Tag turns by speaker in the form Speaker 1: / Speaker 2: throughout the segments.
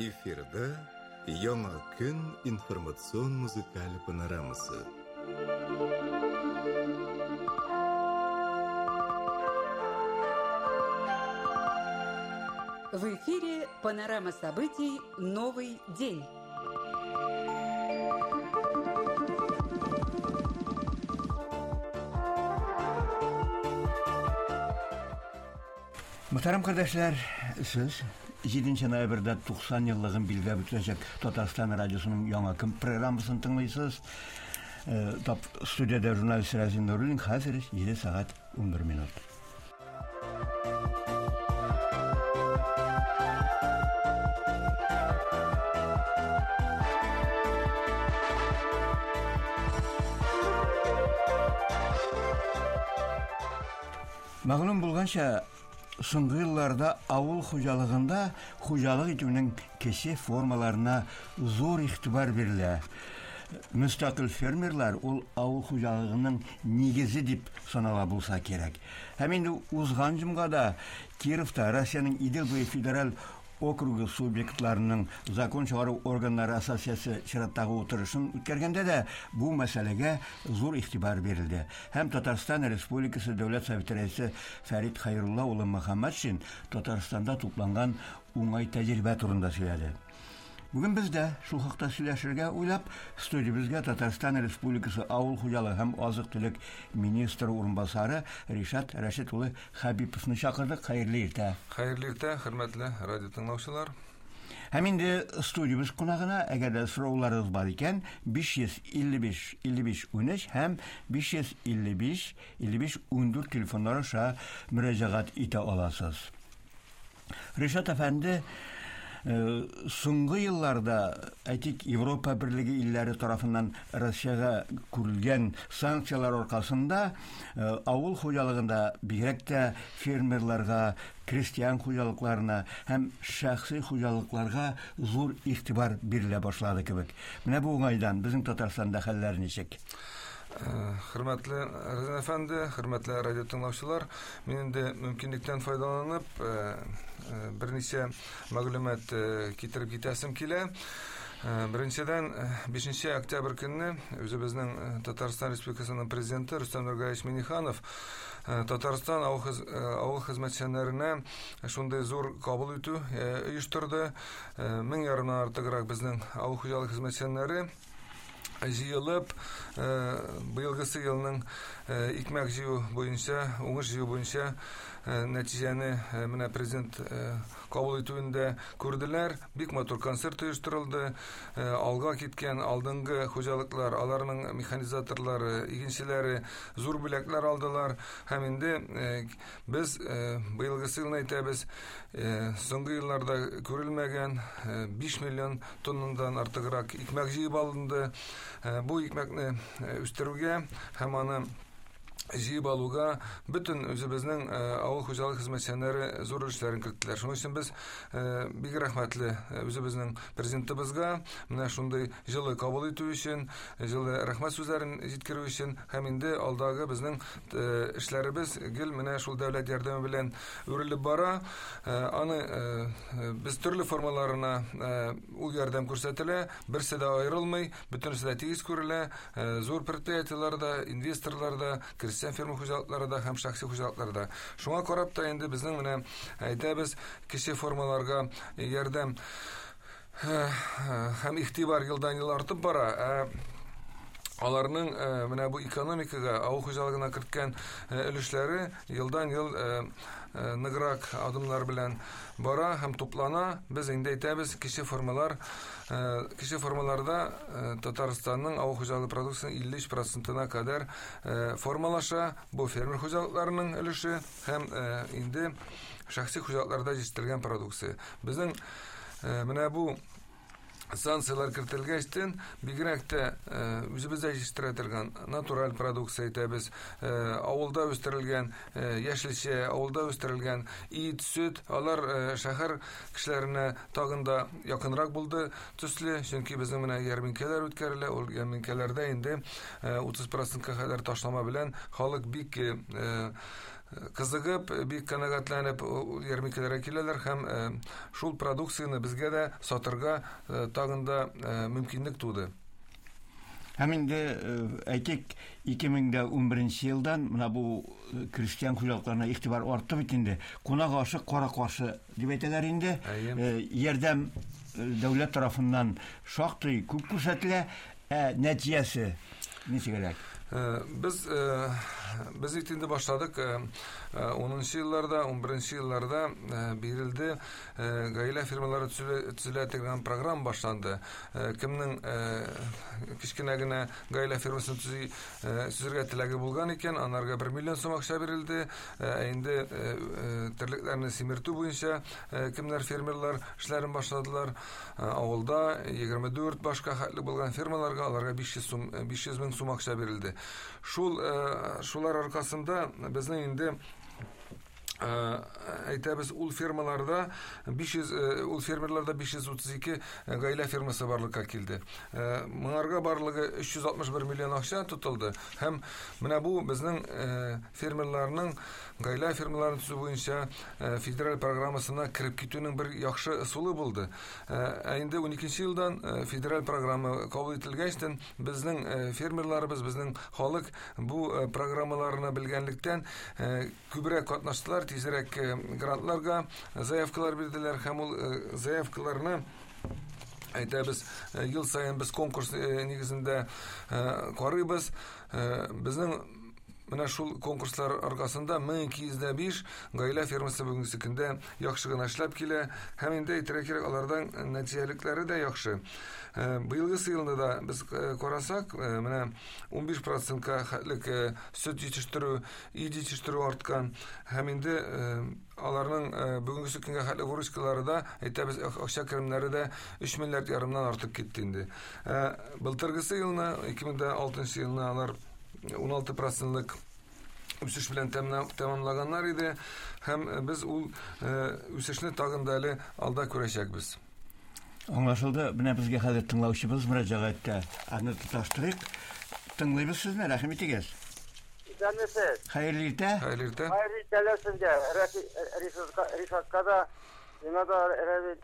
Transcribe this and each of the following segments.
Speaker 1: Эфирда Яңа көн информацион музыкаль панорамасы.
Speaker 2: В эфире панорама событий «Новый день».
Speaker 3: Мөхтәрәм кардәшләр, сез 7 ноябрьдә 90 еллыгын билгеләп үтеләчәк Татарстан радиосының яңа көн программасын тыңлыйсыз. Э, тап студиядә журналист Разин Нуруллин хәзер 7 сәгать 11 минут. Мәгълүм булганча, соңгы елларда авыл хуҗалыгында хуҗалык итүнең кече формаларына зур игътибар бирелә. Мөстәкыйль фермерлар ул авыл хуҗалыгының нигезе дип санала булса кирәк. Һәм инде узган җомгада Кировта Россиянең Идел буе федераль округы субъектларының закон чыгару органнары ассоциациясе чираттагы утырышын үткәргәндә дә бу мәсьәләгә зур игътибар бирелде. Һәм Татарстан Республикасы Дәүләт Советы рәисе Фәрит Хәйрулла улы Мөхәммәтшин Татарстанда тупланган уңай тәҗрибә турында сөйләде. Бүген без дә шул хакта сөйләшергә уйлап, студиябезгә Татарстан Республикасы Авыл хуҗалыгы һәм азык-төлек министры урынбасары Ришат Рәшит улы Хәбиповны чакырдык. Хәерле иртә.
Speaker 4: Хәерле иртә, хөрмәтле радио тыңлаучылар.
Speaker 3: Һәм инде студиябез кунагына, әгәр дә сорауларыгыз бар икән, 555 55 13 һәм 555 55 14 телефоннары аша мөрәҗәгать итә аласыз. Ришат әфәнде, э, соңгы елларда, әйтик, Европа берлеге илләре тарафыннан Россиягә күрелгән санкцияләр аркасында э, авыл хуҗалыгында бигрәк тә фермерларга, крестьян хуҗалыкларына һәм шәхси хуҗалыкларга зур игътибар бирелә башлады кебек. Менә бу уңайдан безнең Татарстанда хәлләр ничек?
Speaker 4: Э, хөрмәтле Разин әфәнде, хөрмәтле радио тыңлаучылар, мин инде мөмкинлектән файдаланып, э, э, берничә мәгълүмат китереп китәсем килә. Беренчедән, 5 октябрь көнне үзебезнең Татарстан Республикасының президенты Рөстәм Нургалиевич Минниханов Татарстан авыл хезмәтчәннәренә шундый зур кабул итү оештырды. Мең ярымнан артыграк безнең авыл хуҗалык хезмәтчәннәре җыелып, э, быелгысы елның э, икмәк җыю буенча, уңыш җыю буенча э, нәтиҗәне менә президент кабул итүендә күрделәр. Бик матур концерт оештырылды. Алга киткән алдынгы хуҗалыклар, аларның механизаторлары, игенчеләре зур бүләкләр алдылар. Һәм инде без быелгысы елны әйтәбез, соңгы елларда күрелмәгән 5 миллион тоннадан артыграк икмәк җыеп алынды. Э, бу икмәкне э, үстерүгә һәм аны җыеп алуга бөтен үзебезнең э, авыл хуҗалык хезмәтчәннәре зур өлешләрен керттеләр. Шуның өчен без бик рәхмәтле үзебезнең президентыбызга менә шундый җылы кабул итү өчен, җылы рәхмәт сүзләрен җиткерү өчен һәм инде алдагы безнең эшләребез гел менә шул дәүләт ярдәме белән үрелеп бара. Аны без төрле формаларына ул ярдәм күрсәтелә, берсе дә аерылмый, бөтенесе дә тигез күрелә. Зур предприятиеләр дә, инвесторлар да, крестьян фермер хуҗалыклары да һәм шәхси хуҗалыклар да. Шуңа карап та инде безнең менә әйтәбез, кече формаларга ярдәм һәм игътибар елдан-ел артып бара. Ә аларның менә бу экономикага, авыл хуҗалыгына керткән өлешләре елдан-ел ныграк адымнар белән бара һәм туплана. Без инде әйтәбез, кече формалар, кече формаларда Татарстанның авыл хуҗалыгы продукциясенең 53 процентына кадәр формалаша. Бу фермер хуҗалыкларының өлеше һәм инде шәхси хуҗалыкларда җитештерелгән продукция. Безнең менә бу санкцияләр кертелгәчтен, бигрәк тә үзебездә җитештерә торган натураль продукция әйтәбез, авылда үстерелгән яшелчә, авылда үстерелгән ит, сөт, алар шәһәр кешеләренә тагын да якынрак булды төсле, чөнки безнең менә ярминкәләр үткәрелә, ул ярминкәләрдә инде 30 процентка кадәр ташлама белән халык бик Кызыгып, бик канәгатьләнеп ярминкәләргә киләләр һәм шул продукцияне безгә дә сатырга тагын да мөмкинлек туды.
Speaker 3: Һәм инде, әйтик, 2011 елдан менә бу крестьян хуҗалыкларына игътибар артты бит инде. Кунак ашы кара каршы дип әйтәләр инде. Ярдәм дәүләт тарафыннан шактый күп күрсәтелә, ә нәтиҗәсе ничегрәк?
Speaker 4: Без бит инде башладык 10 елларда, 11 елларда бирелде гаилә фермалары төзелә дигән программа башланды. Кемнең кечкенә генә гаилә фермасын төзергә теләге булган икән, анарга 1 миллион сум акча бирелде. Ә инде терлекләрне симертү буенча кемнәр фермерлар эшләрен башладылар, авылда 24 башка хәтле булган фермаларга аларга 500 мең сум акча бирелде. Шулар аркасында безнең инде әйтәбез, ул фермаларда 500, ул фермерларда 532 гаилә фермасы барлыкка килде. Моңарга барлыгы 361 миллион акча тотылды. Һәм менә бу безнең фермерларның гаилә фермаларын төзү буенча федераль программасына кереп китүнең бер яхшы ысулы булды. Ә инде 12 елдан федераль программа кабул ителгәчтен безнең фермерларыбыз, безнең халык бу программаларны белгәнлектән күбрәк катнаштылар, тизрәк грантларга заявкалар бирделәр һәм ул заявкаларны әйтәбез, ел саен без конкурс нигезендә карыйбыз. Безнең менә шул конкурслар аркасында 1205 гаилә фермасы бүгенге көндә яхшы гына эшләп килә һәм инде әйтергә кирәк, алардан нәтиҗәлекләре дә яхшы. Быелгы елны да без карасак, менә 15%-ка хәтлек сөт җитештерү, ит җитештерү арткан һәм инде аларның бүгенге көнгә хәтле выручкалары да, әйтәбез, акча керемнәре дә 3 миллиард ярымнан артып китте инде. Былтыргысы елны, 2006 елны алар 16%-лык үсеш белән тәмамлаганнар иде һәм без ул үсешне тагын да әле алда күрәчәкбез.
Speaker 3: Аңлашылды. Менә безгә хәзер тыңлаучыбыз мөрәҗәгать итә. Аны тоташтырыйк. Тыңлыйбыз сезне, рәхим итегез.
Speaker 5: Исәнмесез.
Speaker 3: Хәерле иртә.
Speaker 4: Хәерле иртә.
Speaker 5: Хәерле иртәләр сезгә. Ришатка да, миңа да Рәвил.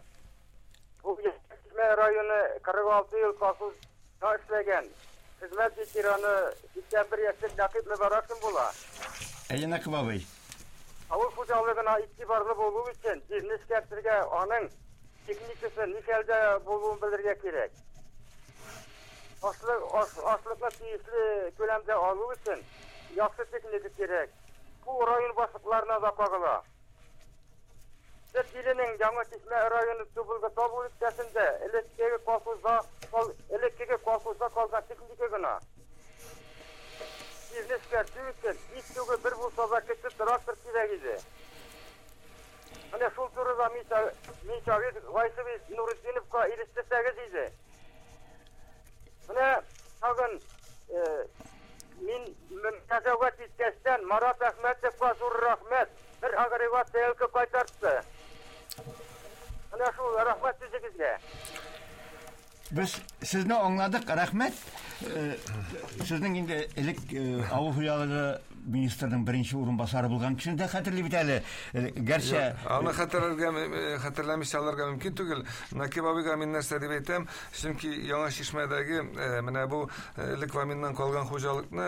Speaker 5: Бу Чишмә районы 46 ел колхозда эшләгән. Хезмәт ветераны 81 яшьлек Нәкыйп Мөбарәкшин була.
Speaker 3: Әйе, Нәкыйп абый.
Speaker 5: Авыл хуҗалыгына игътибарлы булу өчен җирне эшкәртергә, аның техникасы ни хәлдә булуын белергә кирәк. Ашлыкны тиешле күләмдә алу өчен яхшы техника кирәк. Бу район башлыкларына да кагыла. Сөт иленең Яңа Чишмә районы Тубылгы тау бүлекчәсендә элеккеге колхозда калган техника гына. Җирне эшкәртү өчен һич югы бер булса да кече трактор кирәк иде. Менә шул турыда Миншагир Гайсович Нуретдиновка ирештерсәгез иде. Менә тагын мин мөрәҗәгать иткәчтән Марат Әхмәтовка зур рәхмәт. Бер агрегат сәялке кайтартты. Менә шул, рәхмәт сүзегезгә.
Speaker 3: Без сезне аңладык, рәхмәт. Сезнең инде элек авыл хуҗалыгы министрының беренче урынбасары булган кешене дә хәтерли бит әле. Гәрчә
Speaker 4: аны хәтерләмичә алырга мөмкин түгел. Нәкыйп абыйга мин нәрсә дип әйтәм, чөнки Яңа Чишмәдәге менә бу элек Ваминнан калган хуҗалыкны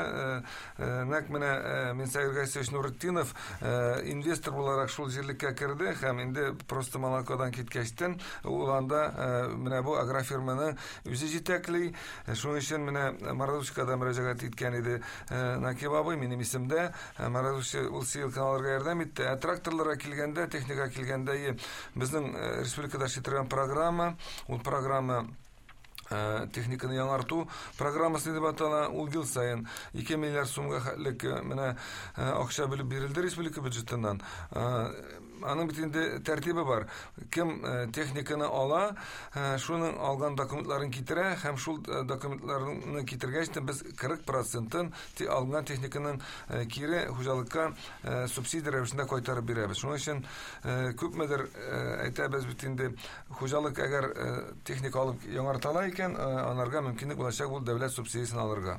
Speaker 4: нәкъ менә Минсәгир Гайсевич Нуретдинов инвестор буларак шул җирлеккә керде һәм инде просто молокодан киткәчтен ул анда менә бу агрофирманы үзе җитәкли. Шуның өчен менә Морозовскага да мөрәҗәгать иткән иде Нәкыйп абый, минем исемдә. Морозовский ул сыйлыкны алырга ярдәм итте. Ә тракторларга килгәндә, техникага килгәндә, безнең республикада эшли торган программа, ул программа техниканы яңарту программасы дип атала. Ул ел саен 2 миллиард сумга хәтлек менә акча бүлеп бирелде республика бюджетыннан. Аның бит инде тәртибе бар. Кем техниканы ала, шуның алган документларын китерә һәм шул документларны китергәч тә без 40%-ын алган техниканың кире хуҗалыкка субсидия рәвешендә кайтарып бирәбез. Шуның өчен күпмедер әйтәбез бит инде, хуҗалык әгәр техника алып яңартала икән, анарга мөмкинлек булачак ул дәүләт субсидиясен алырга.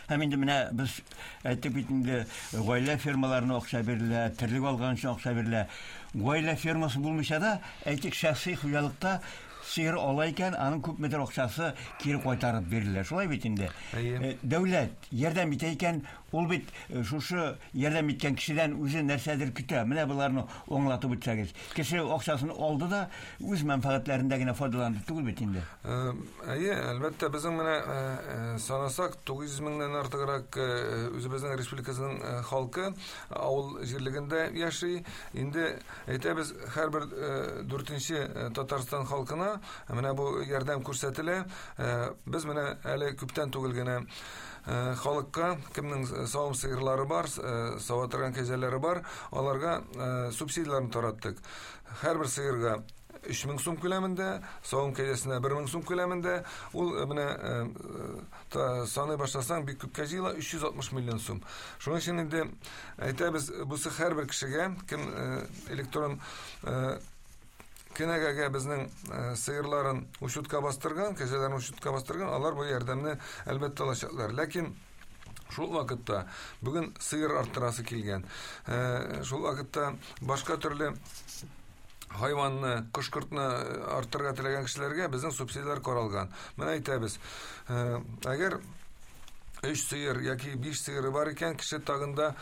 Speaker 3: Һәм инде менә без әйттек бит инде, гаилә фермаларына акча бирелә, терлек алган өчен акча бирелә. Гаилә фермасы булмыйча да, әйтик, шәхси хуҗалыкта сыер ала икән, аның күпмедер акчасы кире кайтарып бирелә. Шулай бит инде.
Speaker 4: Әйе.
Speaker 3: Дәүләт ярдәм итә икән, ул бит шушы ярдәм иткән кешедән үзе нәрсәдер көтә. Менә боларны аңлатып үтсәгез. Кеше акчасын алды да үз мәнфәгатьләрендә генә файдаланды түгел бит инде.
Speaker 4: Әйе, әлбәттә, безнең менә санасак 900 меңнән артыграк үзебезнең республикасының халкы авыл җирлегендә яши. Инде әйтәбез, һәрбер дүртенче Татарстан халкына менә бу ярдәм күрсәтелә. Без менә әле күптән түгел генә халыкка, кемнең савым сыерлары бар, сава торган кәҗәләре бар, аларга субсидияләрне тараттык. Һәрбер сыерга 3000 сум күләмендә, савым кәҗәсенә 1000 сум күләмендә. Ул менә саный башласаң, бик күпкә җыела, 360 миллион сум. Шуның өчен инде әйтәбез, бусы һәрбер кешегә, кем электрон кенәгәгә безнең сыерларын учетка бастырган, кәҗәләрен учетка бастырган, алар бу ярдәмне әлбәттә алачаклар. Ләкин шул вакытта бүген сыер арттырасы килгән, шул вакытта башка төрле хайванны, кош-кортны арттырырга теләгән кешеләргә безнең субсидияләр каралган. Менә әйтәбез, әгәр 3 сыер яки 5 сыеры бар икән, кеше тагын да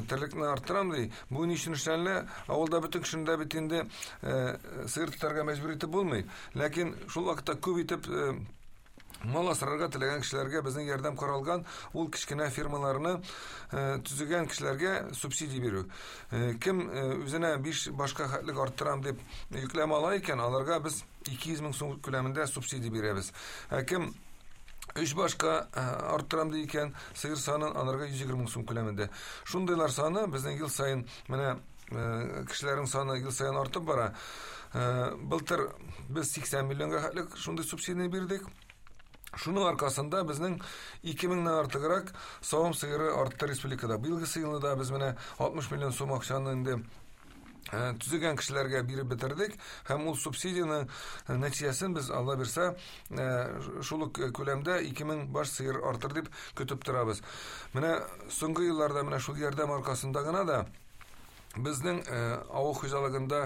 Speaker 4: терлекне арттырам ди. Бу ни өчен эшләнелә? Авылда бөтен кешене дә бит инде сыер тотарга мәҗбүр итеп булмый. Ләкин шул вакытта күп итеп мал асрарга теләгән кешеләргә безнең ярдәм каралган, ул кечкенә фирмаларны төзегән кешеләргә субсидия бирү. Кем үзенә 5 башка хәтлек арттырам дип йөкләмә ала икән, аларга без 200 мең сум күләмендә субсидия бирәбез. Ә кем 3 башка арттырам ди икән, сыер санын аларга 120 мең сум күләмендә. Шундыйлар саны безнең ел саен, менә кешеләрнең саны ел саен артып бара. Былтыр без 80 миллионга хәтлек шундый субсидия бирдек. Шуның аркасында безнең 2 меңнән артыграк савым сыеры артты республикада. Быелгы елны да без менә 60 миллион сум акчаны инде төзегән кешеләргә биреп бетердек, һәм ул субсидияның нәтиҗәсен без, Алла бирсә, шул ук күләмдә 2000 баш сыер артыр дип көтеп торабыз. Менә соңгы елларда менә шул ярдәм аркасында гына да безнең авыл хуҗалыгында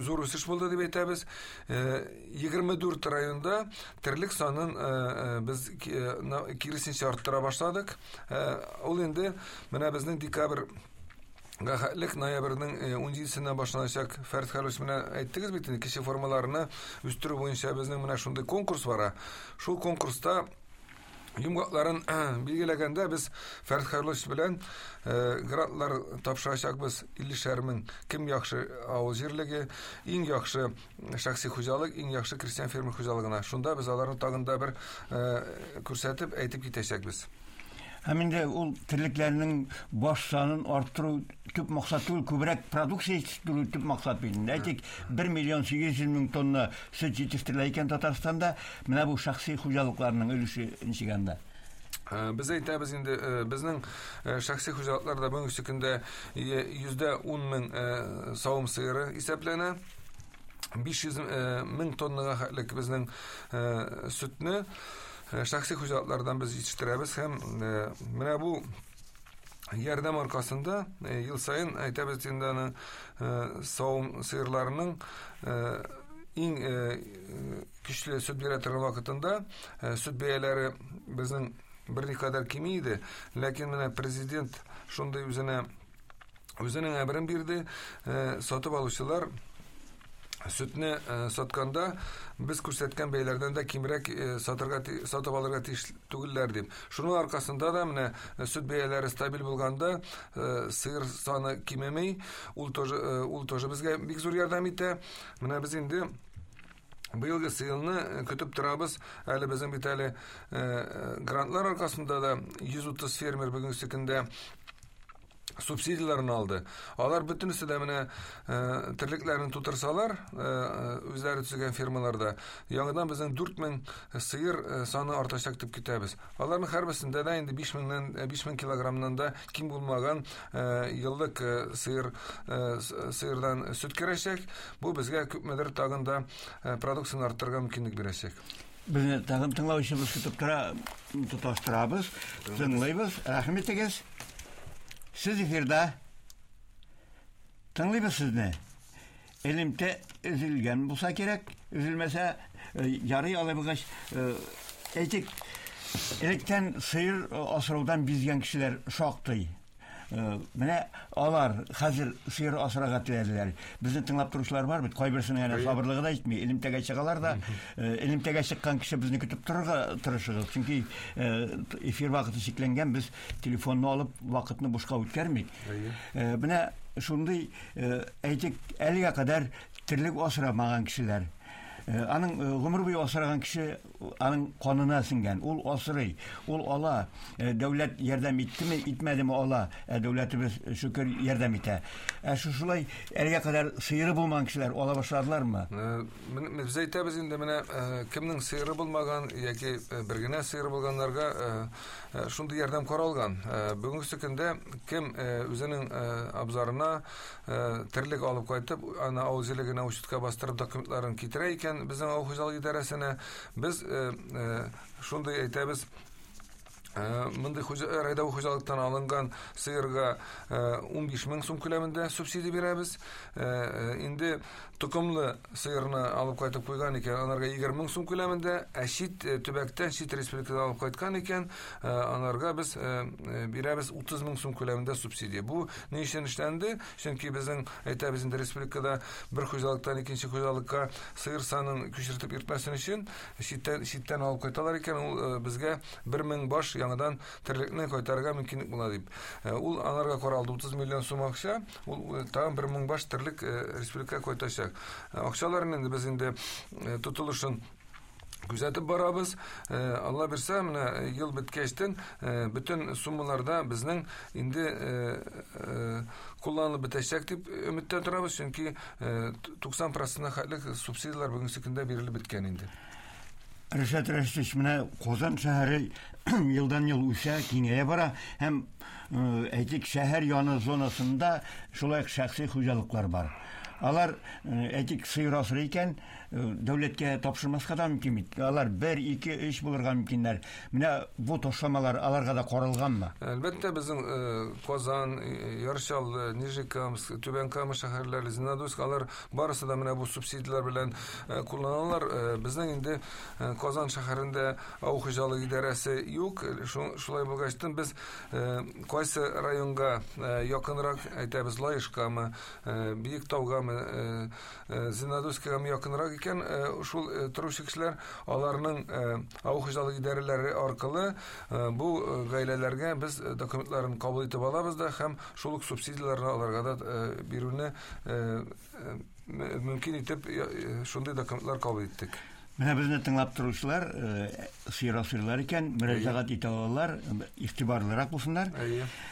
Speaker 4: зур үсеш булды дип әйтәбез. 24 районда терлек санын без киресенчә арттыра башладык. Ул инде менә безнең декабрь хәтлек ноябрьнең 17-сеннән башланачак. Фәрит Хәлүш, менә әйттегез бит инде, кече формаларны үстерү буенча безнең менә шундый конкурс бара. Шул конкурста йомгакларын билгеләгәндә без Фәрит Хәйруллович белән грантлар тапшырачакбыз 50 мең. Кем яхшы авыл җирлеге, иң яхшы шәхси хуҗалык, иң яхшы крестьян фермер хуҗалыгына. Шунда без аларны тагын да бер күрсәтеп, әйтеп китәчәкбез.
Speaker 3: Һәм инде ул терлекләрнең баш санын арттыру төп максат түгел, күбрәк продукция җитештерү төп максат бит инде. Әйтик, 1 миллион 800 мең тонна сөт җитештерелә икән Татарстанда, менә бу шәхси хуҗалыкларның өлеше ничек анда?
Speaker 4: Без әйтәбез инде, безнең шәхси хуҗалыкларда бүгенге көндә 110 мең савым сыеры исәпләнә. 500 мең тоннага хәтлек безнең сөтне шәхси хуҗалыклардан без җитештерәбез, һәм менә бу ярдәм аркасында ел саен әйтәбез инде, аны савым сыерларының иң көчле сөт бирә торган вакытында сөт бәяләре безнең берникадәр кими иде, ләкин менә президент шундый үзенә үзенең әмерен бирде, сатып алучылар сөтне сатканда без күрсәткән бәяләрдән дә кимрәк сатырга сатып алырга тиеш түгелләр дип. Шуның аркасында да менә сөт бәяләре стабиль булганда сыер саны кимеми, ул тоже безгә бик зур ярдәм итә. Менә без инде быелгы елны көтеп торабыз. Әле безнең бит әле грантлар аркасында да 130 фермер бүгенге көндә субсидияләрен алды. Алар бөтенесе дә менә терлекләрен тутырсалар, үзләре төзегән фермаларда, яңадан безнең 4000 сыер саны артачак дип көтәбез. Аларның һәрберсендә дә инде 5000-нән 5000 килограммнан да ким булмаган еллык сыердан сөт керәчәк. Бу безгә күпмедер тагын да продукцияне арттырырга мөмкинлек бирәчәк.
Speaker 3: Безне тагын тыңлаучыбыз көтеп тора, тоташтырабыз, тыңлыйбыз. Рәхим итегез. Сез эфирда. Тыңлыйбыз сезне. Элемтә өзелгән булса кирәк, өзелмәсә, ярый алай булгач, әйтик, электән сыер асраудан бизгән кешеләр шактый. Менә алар хәзер сыер асрарга теләделәр. Безне тыңлап торучылар бар бит, кайберсенең әнә сабырлыгы да җитми. Элемтәгә чыгалар да, элемтәгә чыккан кеше безне көтеп торырга тырышыгыз. Чөнки эфир вакыты чикләнгән, без телефонны алып вакытны бушка үткәрмик. Менә шундый, әйтик, әлегә кадәр терлек асрамаган кешеләр. Аның гомер буе асраган кеше аның канына сеңгән. Ул асрый, ул ала. Дәүләт ярдәм иттеме, итмәдеме ала. Ә дәүләтебез шөкер ярдәм итә. Ә шушылай әлегә кадәр сыеры булмаган кешеләр ала башладылармы?
Speaker 4: Без әйтәбез инде, менә кемнең сыеры булмаган яки бер генә сыеры булганнарга шундый ярдәм каралган. Бүгенге көндә кем үзенең абзарына терлек алып кайтып, аны авыл җирлегенә учетка бастырып документларын китерә икән, безнең авыл хуҗалыгы идарәсенә без шундый әйтәбез, мондый рядовой хуҗалыктан алынган сыерга 15 мең сум күләмендә субсидия бирәбез. Инде токымлы сыерны алып кайтып куйган икән, анарга 20 мең сум күләмендә, ә чит төбәктән, чит республикадан алып кайткан икән, анарга без бирәбез 30 мең сум күләмендә субсидия. Бу ни өчен эшләнде? Чөнки безнең, әйтәбез инде, республикада бер хуҗалыктан икенче хуҗалыкка сыер санын күчертеп йөртмәсен өчен читтән алып кайталар икән, ул безгә 1000 баш яңадан терлекне кайтарырга мөмкинлек була дип. Ул анарга каралды 30 миллион сум акча, ул тагын 1000 баш терлек республикага кайтачак. Акчаларын инде без инде тотылышын күзәтеп барабыз. Алла бирсә, менә ел беткәчтен бөтен суммаларда безнең инде кулланылып бетәчәк дип өметтә торабыз, чөнки 90% хәтлек субсидияләр бүгенге көндә бирелеп беткән инде.
Speaker 3: Ришат Рәшитович, менә Казан шәһәре елдан-ел үсә, киңәя бара һәм, әйтик, шәһәр яны зонасында шулай ук шәхси хуҗалыклар бар. Алар, әйтик, сыер асрый икән, дәүләткә тапшырмаска да мөмкин бит. Алар 1, 2, 3 булырга мөмкиннәр. Менә бу ташламалар аларга да каралганмы?
Speaker 4: Әлбәттә, безнең Казан, Яр Чаллы, Нижнекамск, Түбән Кама шәһәрләре, Зеленодольск, алар барысы да менә бу субсидияләр белән кулланалар. Безнең инде Казан шәһәрендә авыл хуҗалыгы идарәсе юк. Шулай булгачтын без кайсы районга якынрак, әйтәбез, Лаешкамы, Биектаугамы, Зеленодольскийгамы якынрак икән, шул торучы кешеләр аларның авыл хуҗалыгы идарәләре аркылы бу гаиләләргә без документларын кабул итеп алабыз да һәм шул ук субсидияләрне аларга да бирүне мөмкин итеп шундый документлар кабул иттек.
Speaker 3: Менә безне тыңлап торучылар, сыер асрыйлар икән, мөрәҗәгать итә алалар, игътибарлырак булсыннар.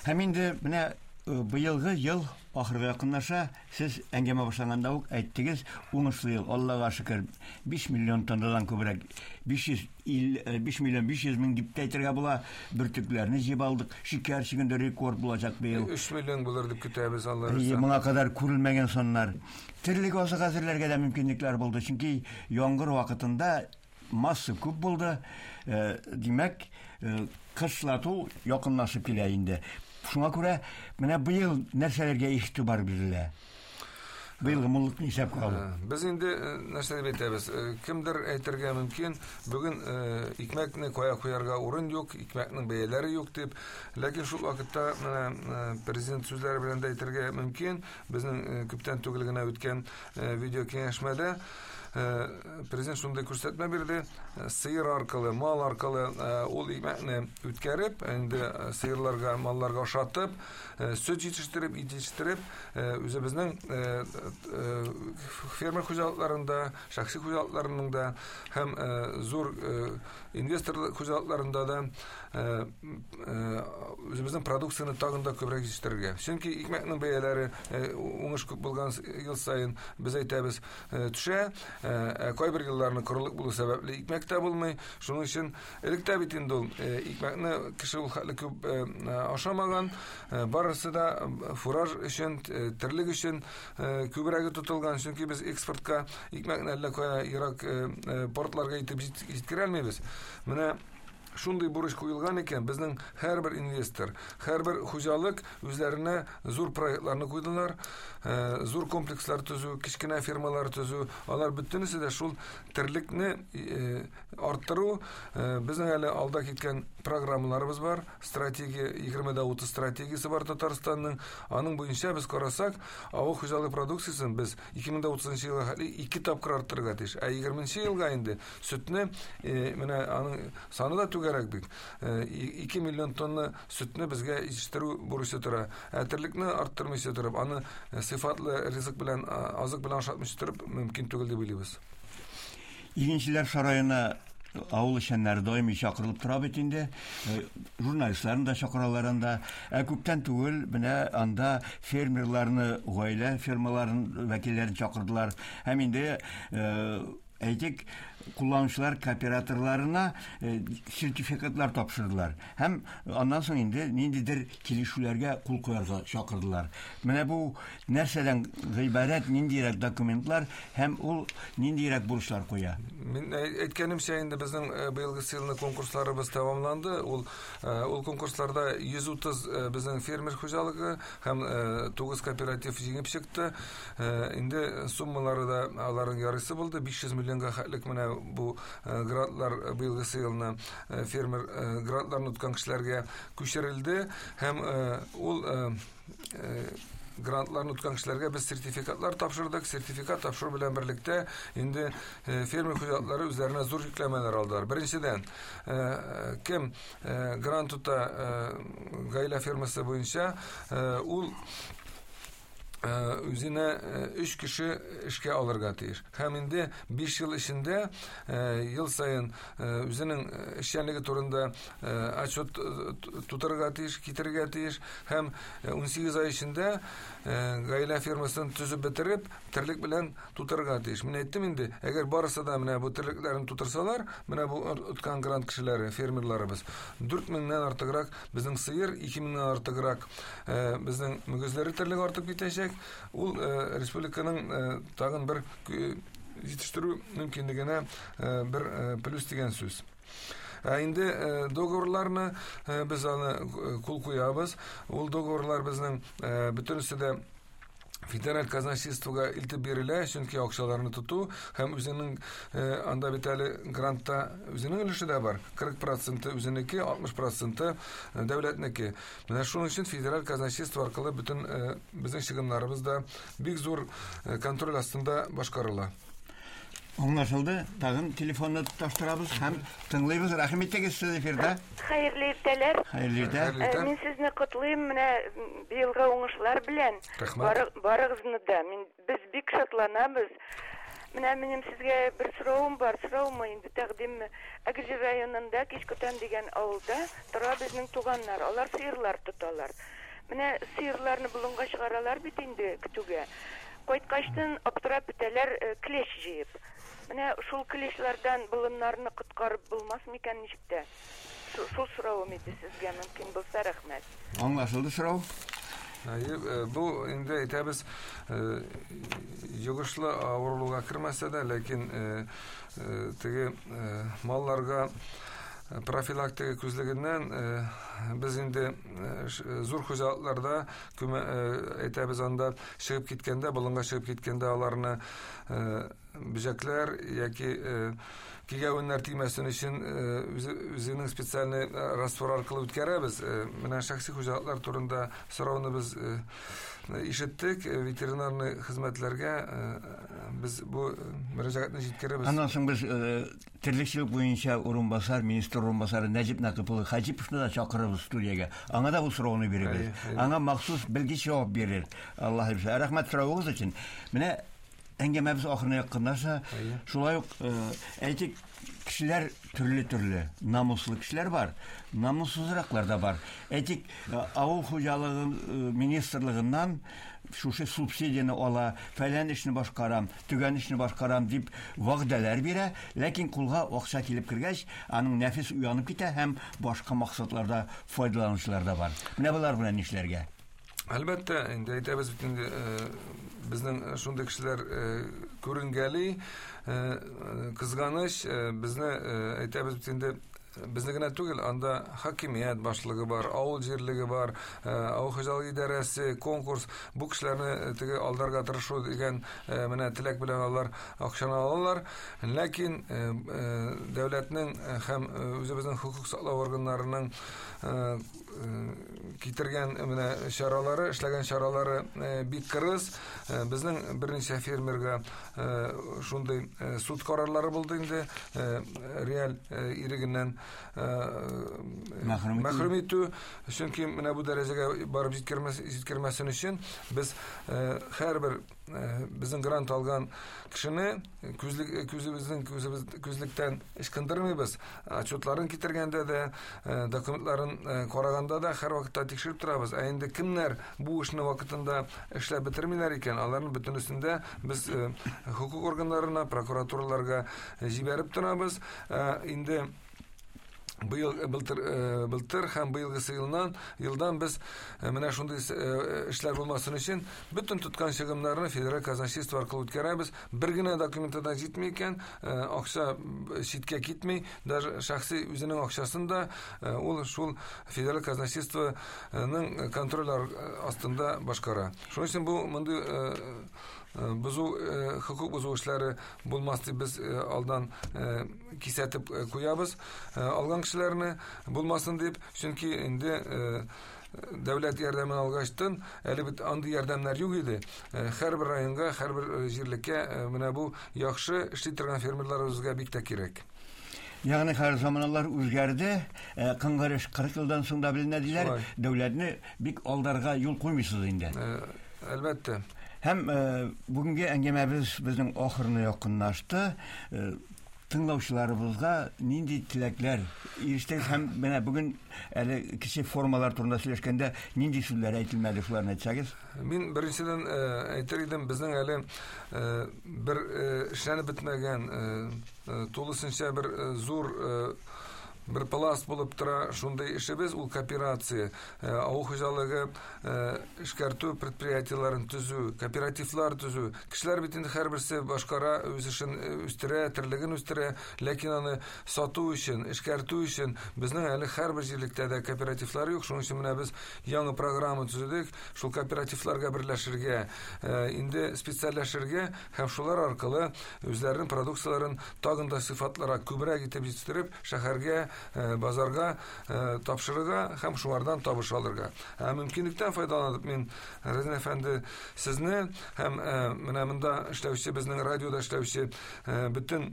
Speaker 3: Һәм инде менә быелгы ел ахырга якынлаша. Сез әңгәмә башланганда ук әйттегез, уңышлы ел, Аллага шөкер, 5 миллион тоннадан күбрәк, 5 миллион 500 мең дип тә әйтергә була, бөртекләрне җыеп алдык. Шикәр чигендә рекорд булачак быел.
Speaker 4: 3 миллион булыр дип көтәбез, Алла бирсә.
Speaker 3: Моңа кадәр күрелмәгән саннар. Терлек азыгы әзерләргә дә мөмкинлекләр булды, чөнки яңгыр вакытында масса күп булды. Димәк, кышлату якынлашып килә инде. Шуңа күрә менә быел нәрсәләргә игътибар бирелә? Быелгы муллыкны исәпкә алу.
Speaker 4: Без инде нәрсә дип әйтәбез? Кемдер әйтергә мөмкин, бүген икмәкне кая куярга урын юк, икмәкнең бәяләре юк дип. Ләкин шул вакытта менә президент сүзләре белән дә әйтергә мөмкин. Безнең күптән түгел генә үткән видео киңәшмәдә президент шундый күрсәтмә бирде: сыер аркылы, мал аркылы ул икмәкне үткәреп, инде сыерларга, малларга ашатып, сөт җитештереп, ит җитештереп, үзебезнең фермер хуҗалыкларында, шәхси хуҗалыкларының да һәм зур инвестор хуҗалыкларында да үзебезнең продукцияне тагын да күбрәк җитештерергә. Чөнки икмәкнең бәяләре уңыш күп булган ел саен, без әйтәбез, төшә. Ә кайбер елларны корылык булу сәбәпле икмәк тә булмый. Шуның өчен элек тә бит инде ул икмәкне кеше ул хәтле күп ашамаган. Барысы да фураж өчен, терлек өчен күбрәге тотылган. Чөнки без экспортка икмәкне әллә кая ерак портларга итеп җиткерә алмыйбыз. Менә шундый бурыч куелган икән, безнең һәрбер инвестор, һәрбер хуҗалык үзләренә зур проектларны куйдылар, зур комплекслар төзү, кечкенә фермалар төзү, алар бөтенесе дә шул терлекне арттыру. Безнең әле алда киткән программаларыбыз бар, стратегия 20-30 стратегиясе бар Татарстанның. Аның буенча без карасак, авыл хуҗалыгы продукциясен без 2030 елга хәтле 2 тапкыр арттырырга тиеш. Ә 20 елга инде сөтне, менә аның саны да түгәрәк бит. 2 миллион тонна сөтне безгә җитештерү бурычы тора. Ә терлекне арттырмыйча торып, аны сыйфатлы ризык белән, азык белән ашатмыйча торып мөмкин түгел дип уйлыйбыз.
Speaker 3: Игенчеләр сараена авыл эшчәннәре даими чакырылып тора бит инде. Журналистларны да чакыралар анда. Ә күптән түгел менә анда фермерларны, гаилә фермаларын вәкилләрен чакырдылар. Һәм инде әйтик, кулланучылар кооператорларына сертификатлар тапшырдылар. Һәм аннан соң инде ниндидер килешүләргә кул куярга чакырдылар. Менә бу нәрсәдән гыйбарәт, ниндирәк документлар һәм ул ниндирәк бурычлар куя?
Speaker 4: Мин әйткәнемчә, инде безнең быелгы елны конкурсларыбыз тәмамланды. Ул конкурсларда 130 безнең фермер хуҗалыгы һәм 9 кооператив җиңеп чыкты. Инде суммалары да аларның ярыйсы булды. 500 миллионга хәтлек менә бу грантлар быелгы елны фермер грантларын откан кешеләргә күчерелде һәм ул грантларны откан кешеләргә без сертификатлар тапшырдык. Сертификат тапшыру белән берлектә инде фермер хуҗалыклары үзләренә зур йөкләмәләр алдылар. Беренчедән, кем грант тота гаилә фермасы буенча, ул үзенә 3 кеше эшкә алырга тиеш. Һәм инде 5 ел эчендә ел саен үзенең эшчәнлеге турында отчет тутырырга тиеш, китерергә тиеш. Һәм 18 ай эчендә гаилә фермасын төзеп бетереп, терлек белән тутырырга тиеш. Мин әйттем инде, әгәр барысы да менә бу терлекләрен тутырсалар, менә бу откан грант кешеләре, фермерларыбыз, 4000-нән артыграк безнең сыер, 2000-нән артыграк безнең мөгезләре терлек артып китәчәк. Ул республиканың тагын бер җитештерү мөмкинлегенә бер плюс дигән сүз. Ә инде договорларны без аны кул куябыз. Ул договорлар безнең бөтенесе дә федераль казначействога илтеп бирелә, чөнки акчаларны тоту һәм үзенең анда бит әле грантта үзенең өлеше дә бар. 40% үзенеке, 60% дәүләтнеке. Менә шуның өчен федераль казначейство аркылы бөтен безнең чыгымнарыбыз да бик зур контроль астында башкарыла.
Speaker 3: Аңлашылды. Тагын телефонны тоташтырабыз һәм тыңлыйбыз. Рәхим итегез, сез эфирда.
Speaker 6: Хәерле иртәләр.
Speaker 3: Хәерле иртә.
Speaker 6: Мин сезне котлыйм менә быелгы уңышлар белән. Барыгызны да. Без бик шатланабыз. Менә минем сезгә бер соравым бар. Сораумы инде, тәкъдимме? Әгерҗе районында Кичкүтән дигән авылда тора безнең туганнар. Алар сыерлар тоталар. Менә сыерларны болынга чыгаралар бит инде көтүгә. Кайткачтан аптырап бетәләр клещ җыеп. Менә шул клещлардан болыннарны коткарып булмас микән ничек тә? Шул соравым иде сезгә, мөмкин булса, рәхмәт.
Speaker 3: Аңлашылды сорау.
Speaker 4: Бу инде әйтәбез, йогышлы авыруларга кермәсә дә, ләкин теге малларга профилактика күзлегеннән без инде зур хуҗалыкларда әйтәбез, анда чыгып киткәндә, болынга чыгып киткәндә аларны бөҗәкләр яки кигәвеннәр тимәсен өчен үзенең специальный раствор аркылы үткәрәбез. Менә шәхси хуҗалыклар турында сорауны без ишеттек. Ветеринарный хезмәтләргә без бу мөрәҗәгатьне җиткерәбез.
Speaker 3: Аннан соң без терлекчелек буенча урынбасар, министр урынбасары Нәҗип Нәкыйпович Хаҗиповны да чакырабыз студиягә. Аңа да бу сорауны бирәбез. Аңа махсус белгеч җавап бирер. Аллаһ бирсә. Рәхмәт соравыгыз өчен. Менә Әңгәмәбез ахырына якынлаша. Шулай ук, әйтик, кешеләр төрле-төрле. Намуслы кешеләр бар, намуссызраклар да бар. Әйтик, авыл хуҗалыгы министрлыгыннан шушы субсидияне ала, фәлән эшне башкарам, төгән эшне башкарам дип вәгъдәләр бирә, ләкин кулга акча килеп кергәч, аның нәфис уянып китә һәм башка максатларда файдаланучылар да бар. Менә болар белән нишләргә?
Speaker 4: Әлбәттә, инде әйтәбез бит инде, безнең шундый кешеләр күренгәли, кызганыч, безне әйтәбез бит инде, безне генә түгел, анда хакимият башлыгы бар, авыл җирлеге бар, авыл хуҗалыгы идарәсе, конкурс, бу кешеләрне теге алдарга тырышу дигән менә теләк белән алар акчаны алалар. Ләкин дәүләтнең һәм үзебезнең хокук саклау органнарының китергән менә чаралары, эшләгән чаралары бик кырыс. Безнең берничә фермерга шундый суд карарлары булды инде, реаль ирегеннән мәхрүм итү. Чөнки менә бу дәрәҗәгә барып җиткермәсен өчен без һәрбер безнең грант алган кешене күзебезнең күзлектән ычкындырмыйбыз. Отчетларын китергәндә дә, документларын караганда да һәрвакытта тикшереп торабыз. Ә инде кемнәр бу эшне вакытында эшләп бетермиләр икән, аларның бөтенесендә без хокук органнарына, прокуратураларга җибәреп торабыз. Инде быел, былтыр һәм быелгысы елдан без менә шундый эшләр булмасын өчен бөтен тоткан чыгымнарны федераль казначейство аркылы үткәрәбез. Бер генә документы да җитми икән, акча читкә китми, даже шәхси үзенең акчасын да ул шул федераль казначействоның контроль астында башкара. Шуның өчен бу мондый бозу, хокук бозу эшләре булмас дип без алдан кисәтеп куябыз алган кешеләрне булмасын дип, чөнки инде дәүләт ярдәмен алгачтын әле бит андый ярдәмнәр юк иде. Һәрбер районга, һәрбер җирлеккә менә бу яхшы эшли торган фермерларыбызга бик тә кирәк.
Speaker 3: Ягъни хәзер заманалар үзгәрде, кыңгыр эш 40 елдан соң да беленә диләр. Дәүләтне бик алдарга юл куймыйсыз инде.
Speaker 4: Әлбәттә.
Speaker 3: Һәм бүгенге әңгәмәбез безнең ахырына якынлашты. Тыңлаучыларыбызга нинди теләкләр ирештегез һәм менә бүген әле кече формалар турында сөйләшкәндә нинди сүзләр әйтелмәде, шуларны әйтсәгез?
Speaker 4: Мин беренчедән әйтер идем, безнең әле бер эшләнеп бетмәгән, тулысынча бер зур бер пласт булып тора шундый эшебез, ул кооперация, авыл хуҗалыгы эшкәртү предприятиеләрен төзү, кооперативлар төзү. Кешеләр бит инде һәрберсе башкара, үз эшен үстерә, терлеген үстерә, ләкин аны сату өчен, эшкәртү өчен безнең әле һәрбер җирлектә дә кооперативлар юк. Шуның өчен менә без яңа программа төзедек, шул кооперативларга берләшергә, инде специальләшергә һәм шулар аркылы үзләренең продукцияләрен тагын да сыйфатлырак, күбрәк итеп җитештереп, шәһәргә, базарга тапшырырга һәм шулардан табыш алырга. Мөмкинлектән файдаланып мин, Разин әфәнде, сезне һәм менә монда эшләүче, безнең радиода эшләүче бөтен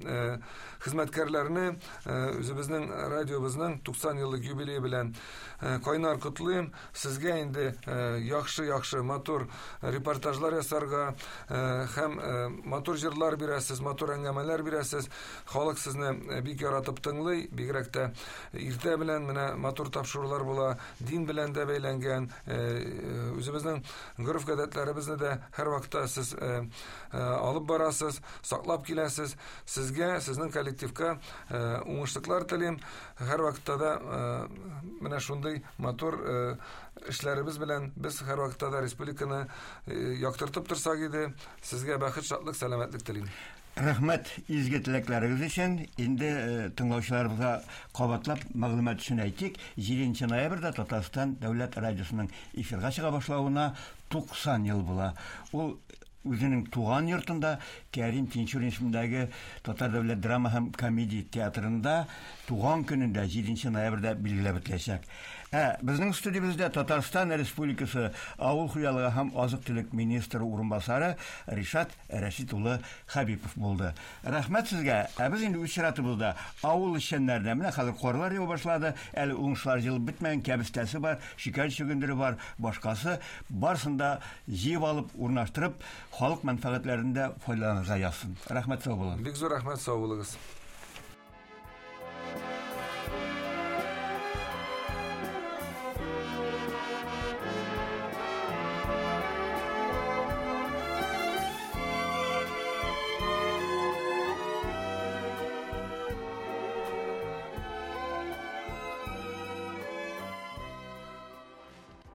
Speaker 4: хезмәткәрләрне үзебезнең радиобызның 90 еллык юбилее белән кайнар котлыйм. Сезгә инде яхшы-яхшы матур репортажлар ясарга һәм матур җырлар бирәсез, матур әңгәмәләр бирәсез. Халык сезне бик яратып тыңлый, бигрәк тә иртә белән менә матур тапшырулар була, дин белән дә бәйләнгән, үзебезнең гореф-гадәтләребезне дә һәрвакытта сез алып барасыз, саклап киләсез. Сезгә, сезнең коллективка уңышлыклар телим. Һәрвакытта да менә шундый матур эшләребез белән без һәрвакытта да республиканы яктыртып торсак иде. Сезгә бәхет, шатлык, сәламәтлек телим.
Speaker 3: Рәхмәт изге теләкләрегез өчен. Инде тыңлаучыларыбызга кабатлап мәгълүмат өчен әйтик, 7 ноябрьдә Татарстан дәүләт радиосының эфирга чыга башлавына 90 ел була. Ул үзенең туган йортында Кәрим Тинчурин исемендәге Татар дәүләт драма һәм комедия театрында туган көнендә 7 ноябрьдә билгеләп үтеләчәк. Ә безнең студиябездә Татарстан Республикасы Авыл хуҗалыгы һәм азык-төлек министры урынбасары Ришат Рәшит улы Хәбипов булды. Рәхмәт сезгә. Ә без инде үз чиратыбызда авыл эшчәннәренә, менә хәзер карлар ява башлады, әле уңышлар җыелып бетмәгән, кәбестәсе бар, шикәр чөгендере бар, башкасы, барысын да җыеп алып, урнаштырып, халык мәнфәгатьләрендә файдаланырга язсын. Рәхмәт, сау булыгыз.
Speaker 4: Бик зур рәхмәт, сау булыгыз.